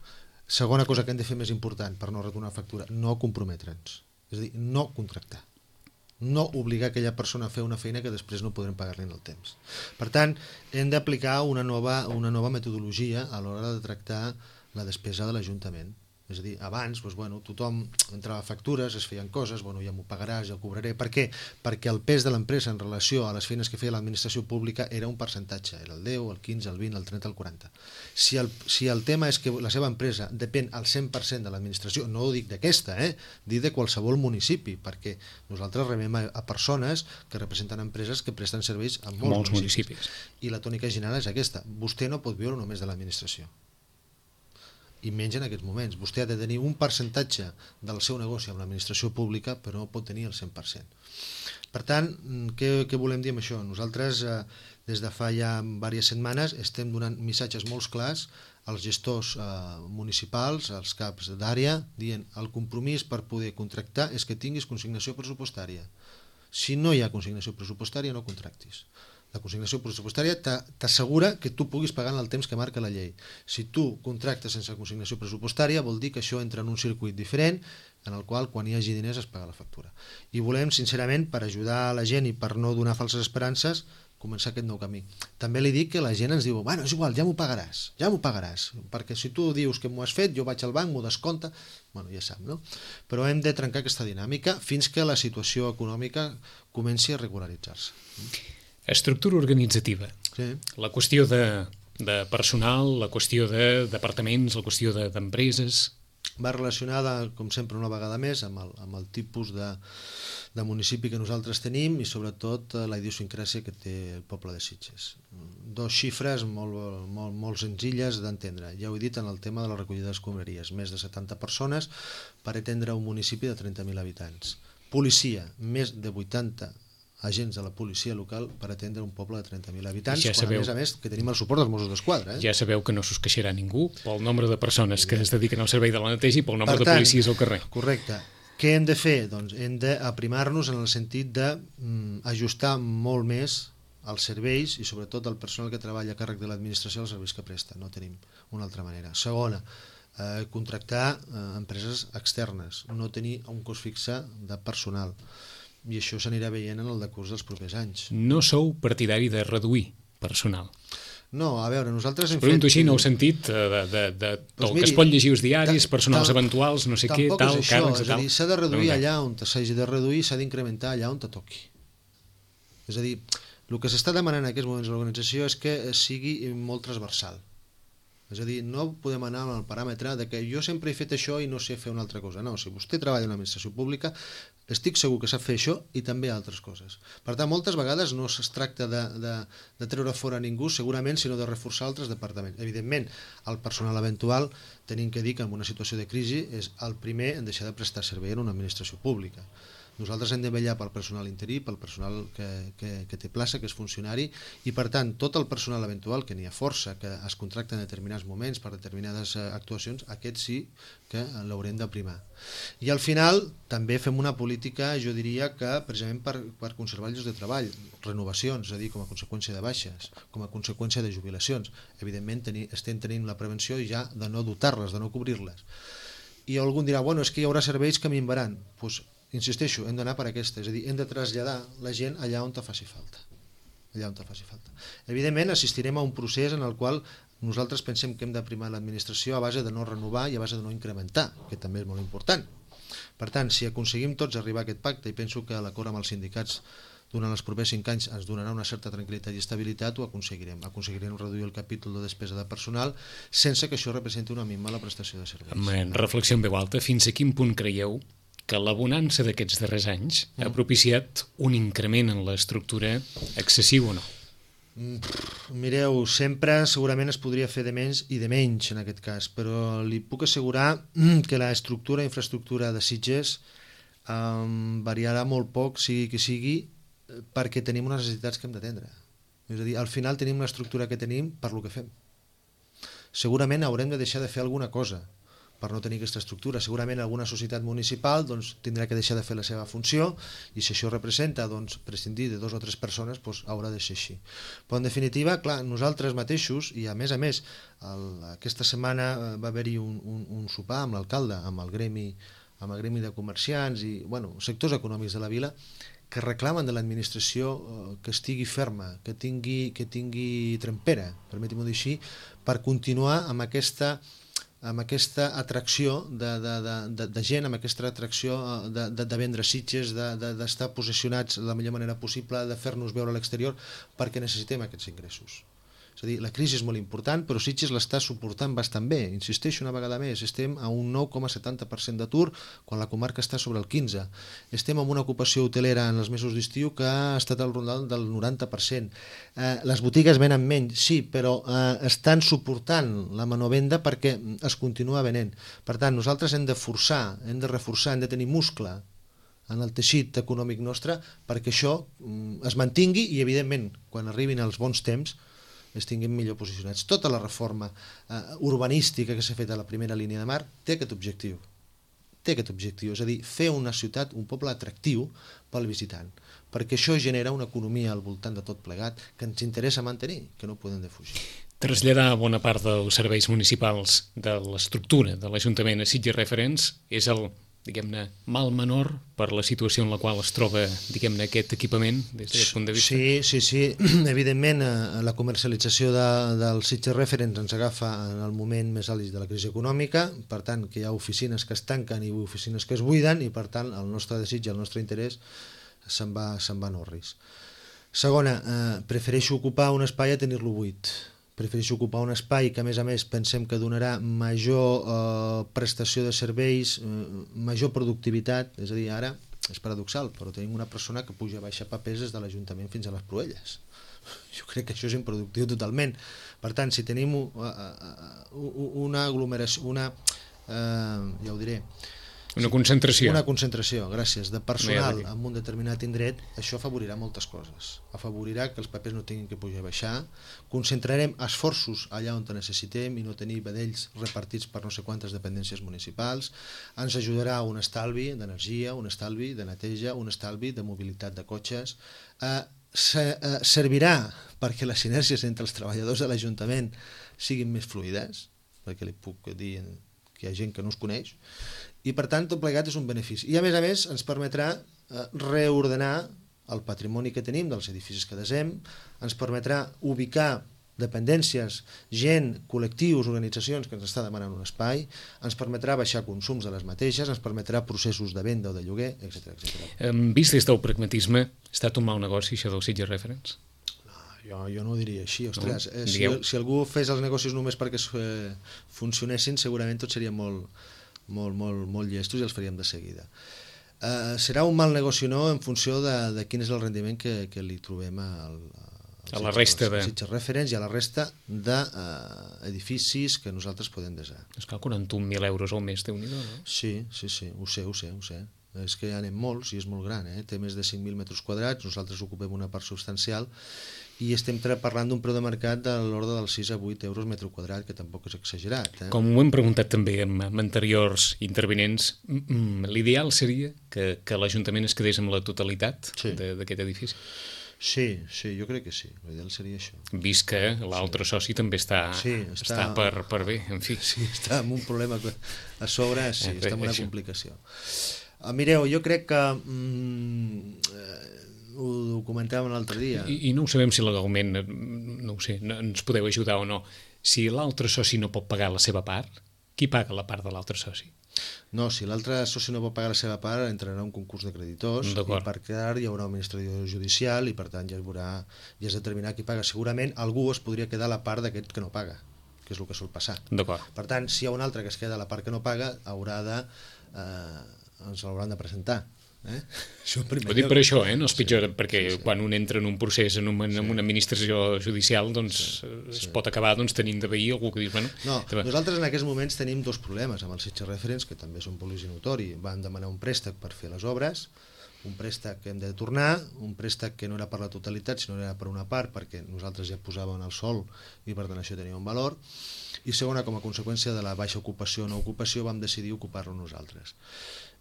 Segona cosa que hem de fer més important per no retornar la factura, no comprometre'ns. És a dir, no contractar. No obligar aquella persona a fer una feina que després no podrem pagar-li en el temps. Per tant, hem d'aplicar una nova, una nova metodologia a l'hora de tractar la despesa de l'Ajuntament. És a dir, abans doncs, bueno, tothom entrava factures, es feien coses, bueno, ja m'ho pagaràs, ja ho cobraré. Per què? Perquè el pes de l'empresa en relació a les feines que feia l'administració pública era un percentatge, era el deu, el quinze, el vint, el trenta, el quaranta. Si el, si el tema és que la seva empresa depèn al cent per cent de l'administració, no ho dic d'aquesta, eh? dic de qualsevol municipi, perquè nosaltres rebem a, a persones que representen empreses que presten serveis a molts, molts municipis. municipis. I la tònica general és aquesta. Vostè no pot viure només de l'administració. I menys en aquests moments. Vostè ha de tenir un percentatge del seu negoci amb l'administració pública, però no pot tenir el cent per cent. Per tant, què, què volem dir amb això? Nosaltres, eh, des de fa ja diverses setmanes, estem donant missatges molt clars als gestors eh, municipals, als caps d'àrea, dient el compromís per poder contractar és que tinguis consignació pressupostària. Si no hi ha consignació pressupostària, no contractis. La consignació pressupostària t'assegura que tu puguis pagar en el temps que marca la llei. Si tu contractes sense consignació pressupostària, vol dir que això entra en un circuit diferent en el qual quan hi hagi diners es paga la factura. I volem, sincerament, per ajudar la gent i per no donar falses esperances, començar aquest nou camí. També li dic que la gent ens diu, bueno, és igual, ja m'ho pagaràs, ja m'ho pagaràs, perquè si tu dius que m'ho has fet, jo vaig al banc, m'ho descompta, bueno, ja sap, no? Però hem de trencar aquesta dinàmica fins que la situació econòmica comenci a regularitzar-se. Estructura organitzativa. Sí. La qüestió de, de personal, la qüestió de departaments, la qüestió d'empreses... Va relacionada, com sempre, una vegada més, amb el, amb el tipus de, de municipi que nosaltres tenim i, sobretot, la idiosincràsia que té el poble de Sitges. Dos xifres molt, molt, molt senzilles d'entendre. Ja ho he dit en el tema de la recollida d'escombraries. Més de setanta persones per atendre un municipi de trenta mil habitants. Policia, més de vuitanta agents de la policia local per atendre un poble de trenta mil habitants, ja quan sabeu, a més a més que tenim el suport dels Mossos d'Esquadra. Eh? Ja sabeu que no s'us queixarà ningú pel nombre de persones que es dediquen al servei de la neteja i pel nombre per tant, de policies al carrer. Correcte. Què hem de fer? Doncs hem d'aprimar-nos en el sentit d'ajustar molt més els serveis i sobretot el personal que treballa a càrrec de l'administració als serveis que presta. No tenim una altra manera. Segona, eh, contractar eh, empreses externes, no tenir un cost fixe de personal. I això s'anirà veient en el decurs dels propers anys. No sou partidari de reduir personal? No, a veure, nosaltres hem Pregunto fet... així, no heu sentit de, de, de, de pues del miri, que es pot llegir els diaris, personals ta, eventuals, no sé què, tal, és això, càrrecs, és a dir, s'ha de reduir allà on s'hagi de reduir, s'ha d'incrementar allà on te toqui. És a dir, el que s'està demanant en aquests moments a l'organització és que sigui molt transversal. És a dir, no podem anar amb el paràmetre de que jo sempre he fet això i no sé fer una altra cosa. No, si vostè treballa en l'administració pública, estic segur que sap fer això i també altres coses. Per tant, moltes vegades no es tracta de, de, de treure fora ningú, segurament, sinó de reforçar altres departaments. Evidentment, el personal eventual, tenim que dir que en una situació de crisi és el primer en deixar de prestar servei en una administració pública. Nosaltres hem de vetllar pel personal interí, pel personal que, que, que té plaça, que és funcionari, i per tant tot el personal eventual, que n'hi ha força, que es contracta en determinats moments per determinades actuacions, aquest sí que l'haurem de primar. I al final també fem una política, jo diria que precisament per, per conservar llocs de treball, renovacions, és a dir, com a conseqüència de baixes, com a conseqüència de jubilacions. Evidentment teni, estem tenint la prevenció ja de no dotar-les, de no cobrir-les. I algú dirà, bueno, és que hi haurà serveis que minvaran. Doncs insisteixo, hem d'anar per aquesta, és a dir, hem de traslladar la gent allà on te faci falta. Allà on te faci falta. Evidentment, assistirem a un procés en el qual nosaltres pensem que hem de primar l'administració a base de no renovar i a base de no incrementar, que també és molt important. Per tant, si aconseguim tots arribar a aquest pacte, i penso que l'acord amb els sindicats durant els propers cinc anys ens donarà una certa tranquil·litat i estabilitat, ho aconseguirem. Aconseguirem reduir el capítol de despesa de personal sense que això representi una minva a la prestació de serveis. En reflexió en veu alta, fins a quin punt creieu que la bonança d'aquests darrers anys ha propiciat un increment en l'estructura excessiu o no? Mireu, sempre segurament es podria fer de menys i de menys en aquest cas, però li puc assegurar que l'estructura, infraestructura de Sitges um, variarà molt poc, sigui que sigui, perquè tenim unes necessitats que hem d'atendre. És a dir, al final tenim una estructura que tenim per lo que fem. Segurament haurem de deixar de fer alguna cosa per no tenir aquesta estructura. Segurament alguna societat municipal doncs, tindrà que deixar de fer la seva funció i si això representa doncs, prescindir de dos o tres persones doncs, haurà de ser així. Però en definitiva, clar, nosaltres mateixos, i a més a més, el, aquesta setmana va haver-hi un, un, un sopar amb l'alcalde, amb el gremi amb el gremi de comerciants i bueno, sectors econòmics de la vila, que reclamen de l'administració que estigui ferma, que tingui, que tingui trempera, permeti-m'ho dir així, per continuar amb aquesta amb aquesta atracció de, de, de, de gent, amb aquesta atracció de, de, de vendre Sitges, d'estar de, de, posicionats de la millor manera possible, de fer-nos veure a l'exterior, perquè necessitem aquests ingressos. És a dir, la crisi és molt important, però Sitges l'està suportant bastant bé. Insisteixo una vegada més, estem a un nou coma setanta per cent d'atur quan la comarca està sobre el quinze. Estem amb una ocupació hotelera en els mesos d'estiu que ha estat al rondal del noranta per cent. Eh, les botigues venen menys, sí, però eh, estan suportant la manovenda perquè es continua venent. Per tant, nosaltres hem de forçar, hem de reforçar, hem de tenir muscle en el teixit econòmic nostre perquè això mm, es mantingui i, evidentment, quan arribin els bons temps, estiguem millor posicionats. Tota la reforma eh, urbanística que s'ha fet a la primera línia de mar té aquest objectiu. Té aquest objectiu, és a dir, fer una ciutat, un poble atractiu pel visitant, perquè això genera una economia al voltant de tot plegat que ens interessa mantenir, que no podem defugir. Traslladar bona part dels serveis municipals de l'estructura de l'Ajuntament a Sitges Referents és el, diguem-ne, mal menor per la situació en la qual es troba, diguem-ne, aquest equipament des d'aquest punt de vista? Sí, sí, sí. Evidentment, la comercialització de, del Sitges Referents ens agafa en el moment més àlgid de la crisi econòmica, per tant, que hi ha oficines que es tanquen i oficines que es buiden, i per tant, el nostre desig i el nostre interès se'n va, se'n va en orris. Segona, eh, prefereixo ocupar un espai a tenir-lo buit. Prefereixo ocupar un espai que, a més a més, pensem que donarà major eh, prestació de serveis, eh, major productivitat. És a dir, ara, és paradoxal, però tenim una persona que puja a baixar papers des de l'Ajuntament fins a les Proelles. Jo crec que això és improductiu totalment. Per tant, si tenim uh, uh, una aglomeració, una, uh, ja ho diré, Una concentració. Una concentració, gràcies, de personal en un determinat indret, això afavorirà moltes coses. Afavorirà que els papers no tinguin que pujar i baixar, concentrarem esforços allà on necessitem i no tenir vedells repartits per no sé quantes dependències municipals, ens ajudarà a un estalvi d'energia, un estalvi de neteja, un estalvi de mobilitat de cotxes, eh, se, eh, servirà perquè les sinergies entre els treballadors de l'Ajuntament siguin més fluides, perquè li puc dir que hi ha gent que no es coneix, i per tant tot plegat és un benefici. I a més a més ens permetrà eh, reordenar el patrimoni que tenim dels edificis que desem, ens permetrà ubicar dependències, gent, col·lectius, organitzacions que ens està demanant un espai, ens permetrà baixar consums de les mateixes, ens permetrà processos de venda o de lloguer, etcètera etcètera. Vist des del pragmatisme, ha estat un mal negoci això del Sitges Referents? Jo, jo no ho diria així, ostres, no? eh, si, si algú fes els negocis només perquè eh, funcionessin, segurament tot seria molt, molt, molt, molt llestos i els faríem de seguida. Uh, serà un mal negoci o no en funció de, de quin és el rendiment que, que li trobem al, a la resta de... Sitges Reference i a la resta d'edificis uh, que nosaltres podem desar. És que quaranta-un mil euros al mes, Déu-n'hi-do, no? Sí, sí, sí, ho sé, ho sé, ho sé. És que ja anem molts i és molt gran, eh? Té més de cinc mil metres quadrats, nosaltres ocupem una part substancial i estem parlant d'un preu de mercat de l'ordre dels sis a vuit euros metre quadrat, que tampoc és exagerat. Eh? Com ho hem preguntat també amb, amb anteriors intervinents, l'ideal seria que, que l'Ajuntament es quedés amb la totalitat sí. d'aquest edifici? Sí, sí, jo crec que sí, l'ideal seria això. Vist que l'altre sí. soci també està, sí, està... està per, per bé, en fi. Sí, està amb un problema a sobre, sí, eh, està amb una això. complicació. Uh, mireu, jo crec que mm, eh, ho, ho comentàvem l'altre dia. I, I no ho sabem si legalment, no ho sé, no, ens podeu ajudar o no. Si l'altre soci no pot pagar la seva part, qui paga la part de l'altre soci? No, si l'altre soci no pot pagar la seva part, entrarà un concurs de creditors i per quedar hi haurà una administració judicial i per tant ja es veurà, ja es determinarà qui paga. Segurament algú es podria quedar la part d'aquest que no paga, que és el que sol passar. Per tant, si hi ha un altre que es queda la part que no paga, haurà de... Eh, ens l'hauran de presentar. Eh? Això ho dic per això, eh? No és pitjor, sí, perquè sí, sí. quan un entra en un procés en, un, en sí. una administració judicial doncs sí, sí. es pot acabar doncs, tenint de veí algú que dius... Bueno, no, nosaltres en aquests moments tenim dos problemes amb els Sitges Reference, que també són públics i notori. Van demanar un préstec per fer les obres, un préstec que hem de tornar, un préstec que no era per la totalitat, sinó era per una part, perquè nosaltres ja posàvem el sol i per tant això tenia un valor, i segona, com a conseqüència de la baixa ocupació o no ocupació, vam decidir ocupar-lo nosaltres.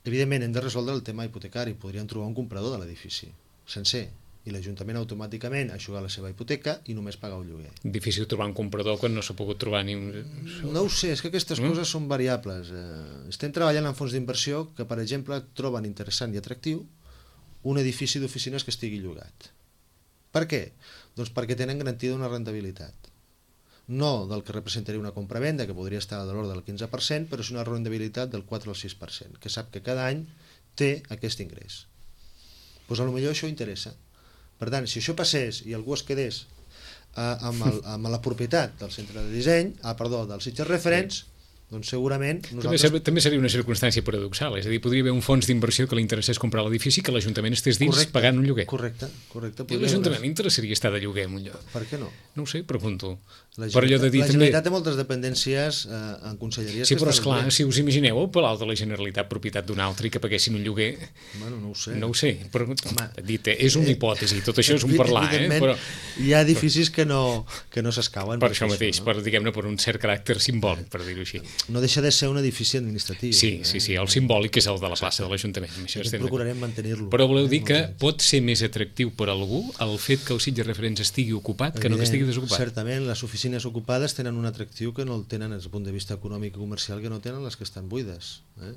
Evidentment, hem de resoldre el tema hipotecari. Podrien trobar un comprador de l'edifici, sencer, i l'Ajuntament automàticament aixugar la seva hipoteca i només pagar el lloguer. Difícil trobar un comprador quan no s'ha pogut trobar ni un... No ho sé, és que aquestes mm? coses són variables. Eh, estem treballant en fons d'inversió que, per exemple, troben interessant i atractiu un edifici d'oficines que estigui llogat. Per què? Doncs perquè tenen garantida una rentabilitat. No del que representaria una compra-venda, que podria estar de l'ordre del quinze per cent, però és una rendibilitat del quatre al sis per cent, que sap que cada any té aquest ingrés. Doncs potser això interessa. Per tant, si això passés i algú es quedés eh, amb, el, amb la propietat del centre de disseny, ah, perdó, del Sitges Reference, doncs segurament... Nosaltres... També, també seria una circumstància paradoxal, és a dir, podria haver un fons d'inversió que li interessés comprar l'edifici que l'Ajuntament estés dins correcte, pagant un lloguer. Correcte, correcte. I l'Ajuntament li interessaria estar de lloguer en un lloc. Per què no? No ho sé, pregunto. La Generalitat, de dir, la Generalitat també... té moltes dependències eh, en conselleries... Sí, però esclar, si us imagineu el Palau de la Generalitat propietat d'un altre i que paguessin un lloguer... Bueno, no ho sé. No ho sé, però dit, és una hipòtesi, tot això és un parlar, eh? Però... hi ha edificis que no, que no s'escauen. Per això mateix, no? per, diguem-ne, per un cert caràcter simbòlic, per dir-ho així. No deixa de ser un edifici administratiu. Sí, sí, sí, el simbòlic és el de la plaça de l'Ajuntament. Procurarem mantenir-lo. Però voleu dir que pot ser més atractiu per a algú el fet que el Sitges Reference estigui ocupat que no que estigui desocupat? Certament, les oficines ocupades tenen un atractiu que no el tenen des del punt de vista econòmic i comercial que no tenen les que estan buides. Eh?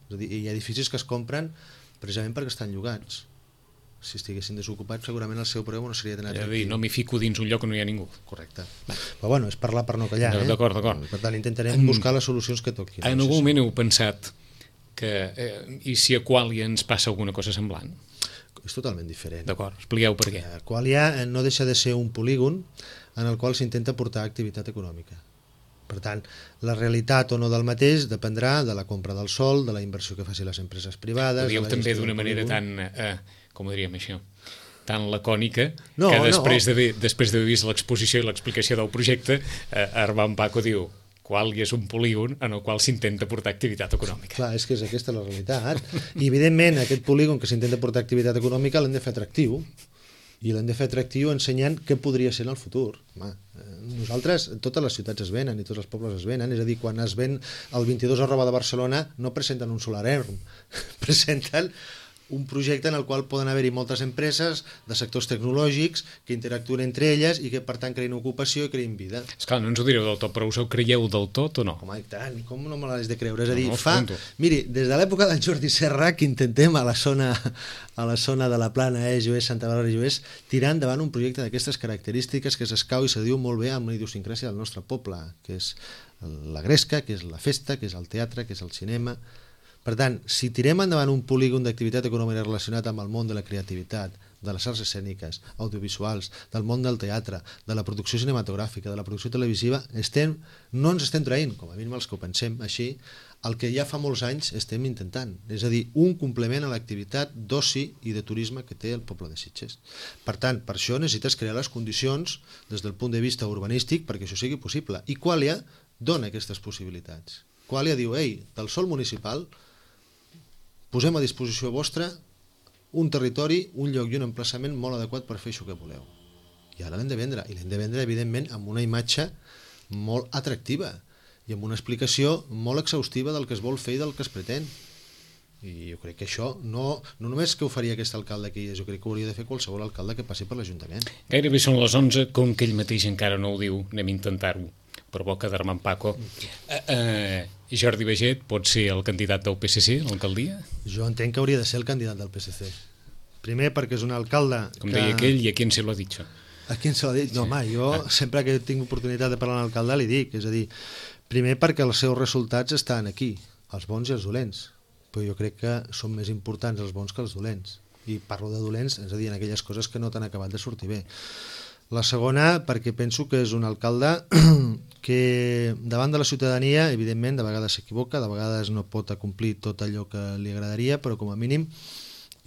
És a dir, hi ha edificis que es compren precisament perquè estan llogats. Si estiguessin desocupats segurament el seu preu no seria tan atractiu. És a dir, no m'hi fico dins un lloc on no hi ha ningú. Correcte. Però bueno, és parlar per no callar. Eh? D'acord, d'acord. Per tant, intentarem buscar les solucions que toquin. En algun moment heu pensat que eh, i si a Qualia ens passa alguna cosa semblant? És totalment diferent. D'acord, expliqueu per què. Qualia no deixa de ser un polígon en el qual s'intenta portar activitat econòmica. Per tant, la realitat o no del mateix dependrà de la compra del sòl, de la inversió que facin les empreses privades... Ho dieu també d'una manera tan... Eh, com ho diríem això, tan lacònica no, que després no. d'haver després d'haver vist l'exposició i l'explicació del projecte, eh, Armand Paco diu qual és un polígon en el qual s'intenta portar activitat econòmica. Clar, és que és aquesta la realitat. I evidentment aquest polígon que s'intenta portar activitat econòmica l'hem de fer atractiu, i l'hem de fer atractiu ensenyant què podria ser en el futur. Home, nosaltres, totes les ciutats es venen i tots els pobles es venen, és a dir, quan es ven el vint-i-dos arroba de Barcelona no presenten un solar erm, presenten un projecte en el qual poden haver-hi moltes empreses de sectors tecnològics que interactuen entre elles i que per tant creïn ocupació i creïn vida. Esclar, no ens ho direu del tot, però us ho creieu del tot o no? Home, i tant, com no me l'has de creure? És a dir, no, no, fa... Miri, des de l'època del Jordi Serra que intentem a la zona a la zona de la Plana, eh, Joés, Santa Bàrbara i Joés, tirar endavant un projecte d'aquestes característiques que s'escau i se diu molt bé amb la idiosincràsia del nostre poble, que és la gresca, que és la festa, que és el teatre, que és el cinema... Per tant, si tirem endavant un polígon d'activitat econòmica relacionat amb el món de la creativitat, de les arts escèniques, audiovisuals, del món del teatre, de la producció cinematogràfica, de la producció televisiva, estem, no ens estem traient, com a mínim els que ho pensem així, el que ja fa molts anys estem intentant, és a dir, un complement a l'activitat d'oci i de turisme que té el poble de Sitges. Per tant, per això necessites crear les condicions des del punt de vista urbanístic perquè això sigui possible. I Qualia dona aquestes possibilitats. Qualia diu, ei, del sòl municipal posem a disposició vostra un territori, un lloc i un emplaçament molt adequat per fer això que voleu. I ara l'hem de vendre, i l'hem de vendre, evidentment, amb una imatge molt atractiva i amb una explicació molt exhaustiva del que es vol fer i del que es pretén. I jo crec que això no, no només que ho faria aquest alcalde que hi és, jo crec que ho hauria de fer qualsevol alcalde que passi per l'Ajuntament. Gairebé són les onze, com que ell mateix encara no ho diu, anem a intentar-ho, per boca d'Armand Paco. Uh, uh, Jordi Baiget pot ser el candidat del P S C a l'alcaldia? Jo entenc que hauria de ser el candidat del P S C. Primer perquè és un alcalde com que... deia aquell, i a qui se lo ha dit? A qui se lo ha dit? No, home, jo sempre que tinc oportunitat de parlar amb l'alcalde li dic, és a dir, primer perquè els seus resultats estan aquí, els bons i els dolents, però jo crec que són més importants els bons que els dolents, i parlo de dolents, és a dir, en aquelles coses que no t'han acabat de sortir bé. La segona, perquè penso que és un alcalde que davant de la ciutadania, evidentment, de vegades s'equivoca, de vegades no pot acomplir tot allò que li agradaria, però com a mínim,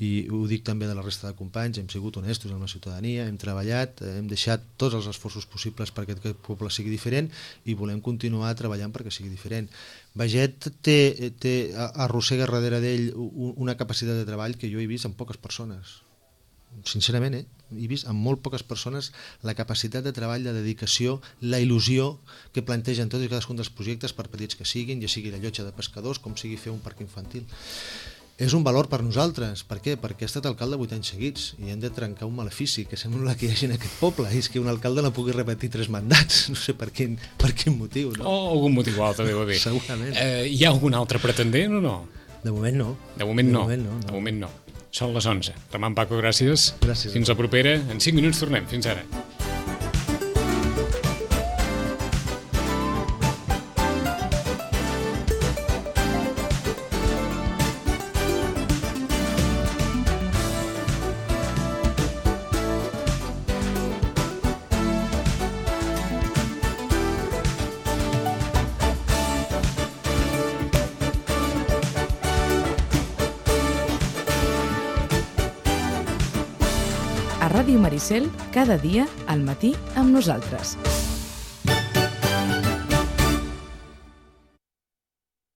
i ho dic també de la resta de companys, hem sigut honestos amb la ciutadania, hem treballat, hem deixat tots els esforços possibles perquè aquest poble sigui diferent i volem continuar treballant perquè sigui diferent. Baiget té, té, arrossega darrere d'ell una capacitat de treball que jo he vist en poques persones. Sincerament, eh? he vist en molt poques persones la capacitat de treball, de dedicació, la il·lusió que plantegen tots i cadascun dels projectes, per petits que siguin, ja sigui la llotja de pescadors, com sigui fer un parc infantil. És un valor per nosaltres. Per què? Perquè ha estat alcalde vuit anys seguits i hem de trencar un malefici que sembla que hi hagi en aquest poble, i és que un alcalde no pugui repetir tres mandats, no sé per quin, per quin motiu. No? O algun motiu altre deu haver. Segurament. Eh, hi ha algun altre pretendent o no? De moment no. De moment no. De moment no, no. De moment no. Són les onze. Armand Paco, gràcies. Gràcies. Fins la propera. En cinc minuts tornem. Fins ara. A Ràdio Maricel, cada dia al matí amb nosaltres.